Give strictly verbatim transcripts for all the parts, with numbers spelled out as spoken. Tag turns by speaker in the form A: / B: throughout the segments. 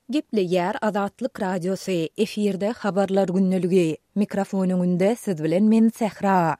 A: Gepleýär Azatlyk Radiosy, efirde Habarlar gündeligi. Mikrofon öňünde siz bilen men Sähra.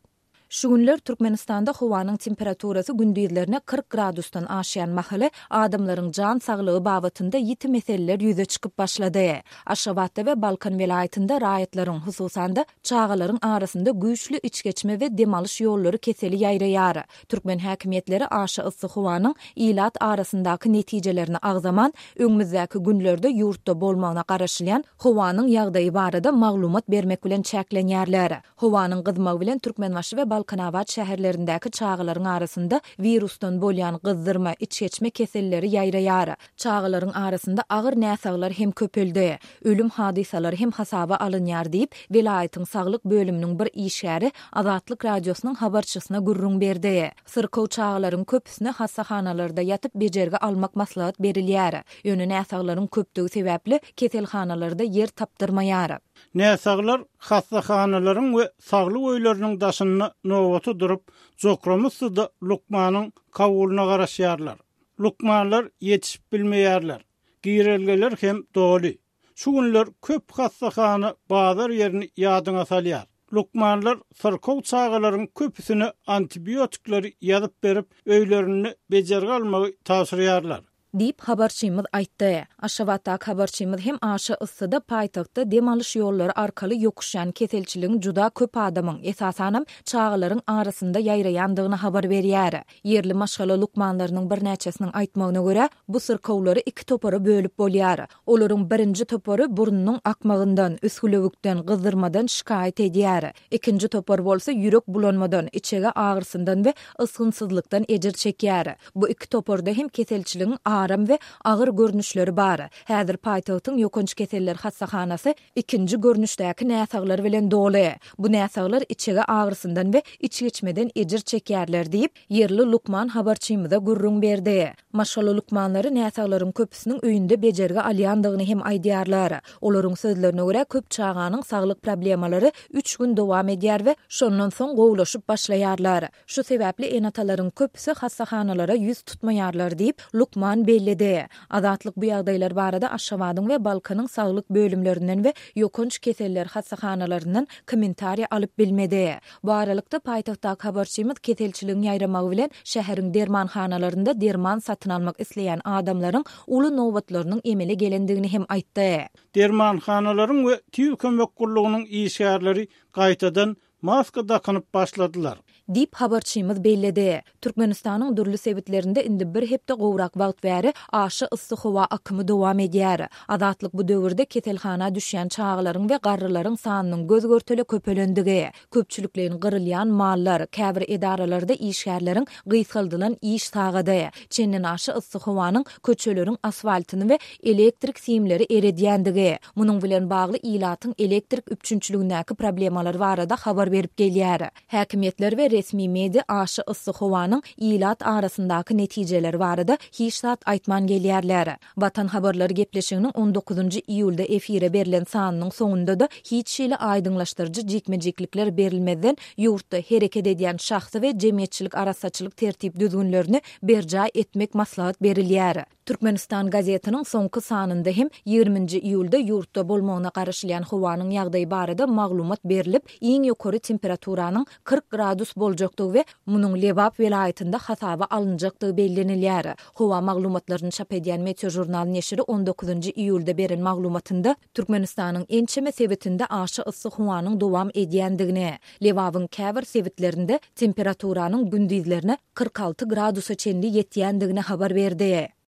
A: Şu günler Türkmenistanda howanyň temperaturasy gündizlerine kyrk gradusdan aşýan mahaly adamlaryň jan saglygy babatynda ýiti meseleler ýüze çykyp başlady. Aşgabatda we Balkan welaýatynda raýatlaryň, hususan-da, çagalaryň arasynda güýçli içgeçme we dem alyş ýollary keseli ýaýraýar. Türkmen häkimiýetleri aşa yssy howanyň ilat arasyndaky netijelerini agzaman, öňümizdäki günlerde ýurtda bolmagyna garaşylýan howanyň ýagdaýy barada maglumat bermek bilen çäklenýärler. Howanyň gyzmagy bilen Türkmenbaşy we Balkanabat şäherlerindäki çagalaryň arasynda wirusdan bolýan gyzdyrma, içgeçme keselleri ýaýraýar. Çagalaryň arasynda agyr näsaglar hem köpeldi. Ölüm hadysalary hem hasaba alynýar diýip, welaýatyň saglyk bölüminiň bir işgäri Azatlyk Radiosynyň habarçysyna gürrüň berdi. Syrkaw çagalaryň köpüsine hassahanalarda ýatyp bejergi almak maslahat berilýär. Ýöne näsaglaryň köpdügi sebäpli keselhanalarda ýer tapdyrmaýar.
B: Näsaglar hassahanalaryň we saglyk öýleriniň daşynda nobata durup, jokrama-da lukmanyň kabulyna garaşýarlar. Lukmanlar ýetişip bilmeýärler. Girelgeler hem doly. Şu günler köp hassahana bazar ýerini ýadyňa salýar. Lukmanlar syrkaw çagalaryň köpüsine antibiotikleri ýazyp berip, öýlerinde bejergi almagy tabşyrýarlar.
A: Diýip, habarçymyz aýtdy. Aşgabatdaky habarçymyz hem aşa yssyda paýtagtda dem alyş ýollary arkaly ýokuşýan keselçiligiň juda köp adamyň, esasanam, çagalaryň arasynda ýaýraýandygyny habar berýär. Ýerli maşgala lukmanlarynyň birnäçesiniň aýtmagyna görä, bu syrkawlary iki topara bölüp bolýar. Olaryň birinji topary burnunyň akmagyndan, üsgülewükden, gyzdyrmadan şikaýat edýär. Ikinji topar bolsa ýürek bulanmadan, içege agyrysyndan we ysgynsyzlykdan ejir çekýär. Bu iki toparda hem keselçiligiň aram we agyr görnüşleri bar. Häzir paýtagtyň ýokanç keseller hassahanasy ikinji görnüşdäki näsaglar bilen doly. Bu näsaglar içege agyrysyndan we içgeçmeden ejir çekýärler diýip, ýerli lukman habarçymyza gürrüň berdi. Maşgala lukmanlary näsaglaryň köpüsiniň öýünde bejergi alýandygyny hem aýdýarlar. Olaryň sözlerine görä, köp çaganyň saglyk problemalary üç gün dowam edýär we şondan soň gowulaşyp başlaýarlar. Şu sebäpli ene-atalaryň köpüsi hassahanalara ýüz tutmaýarlar diýip, lukman belledi. Azatlyk bu ýagdaýlar barada Aşgabadyň we Balkanyň saglyk bölümlerinden we ýokanç keseller hassahanalaryndan kommentariý alyp bilmedi. Bu aralykda, paýtagtdaky habarçymyz keselçiligiň ýaýramagy bilen şäheriň dermanhanalarynda derman satyn almak isleýän adamlaryň uly nobatlarynyň emele gelendigini hem aýtdy.
B: Dermanhanalaryň we tiz kömek gullugynyň işgärleri gaýtadan maska dakynyp başladylar.
A: Diýip, habarçymyz belledi. Türkmenistanyň dürli sebitlerinde indi bir hepde gowrak wagt bäri aşa yssy howa akymy dowam edýär. Azatlyk bu döwürde keselhana düşýän çagalaryň we garrylaryň sanynyň göz-görtele köpelendigi, köpçülikleýin gyrylýan mallar, käbir edaralarda işgärleriň gysgaldylan iş sagady, çendenaşa yssy howanyň köçeleriň asfaltyny we elektrik simleri eredýändigi, munuň bilen bagly ilatyň elektrik üpjünçiligindäki problemalar barada habar berip gelýär. Häkimiýetler we resmi media aşa yssy howanyň ilat arasyndaky netijeleri barada hiç zat aýtman gelýärler. Watan habarlary gepleşiginiň on dokuzynjy iýulda efire berlen sanynyň soňunda-da hiç hili aýdyňlaşdyryjy jikme-jiklikler berilmezden ýurtda hereket edýän şahsy we jemgyýetçilik arassaçylyk tertip-düzgünlerini berjaý etmek maslahat berilýär. Türkmenistan gazetiniň soňky sanynda hem ýigriminji iýulda ýurtda bolmagyna garaşylýan howanyň ýagdaýy barada maglumat berlip, iň ýokary temperaturanyň kyrk gradus boljakdygy we munuň Lebap welaýatynda hasaba alynjakdygy bellenilýär. Howa maglumatlaryny çap edýän Meteožurnal neşiri on dokuzynjy iýulda beren maglumatynda Türkmenistanyň ençeme sebitinde aşa yssy howanyň dowam edýändigini, Lebabyň käbir sebitlerinde temperaturanyň gündizlerine kyrk alty gradusa çenli ýetýändigini habar berdi.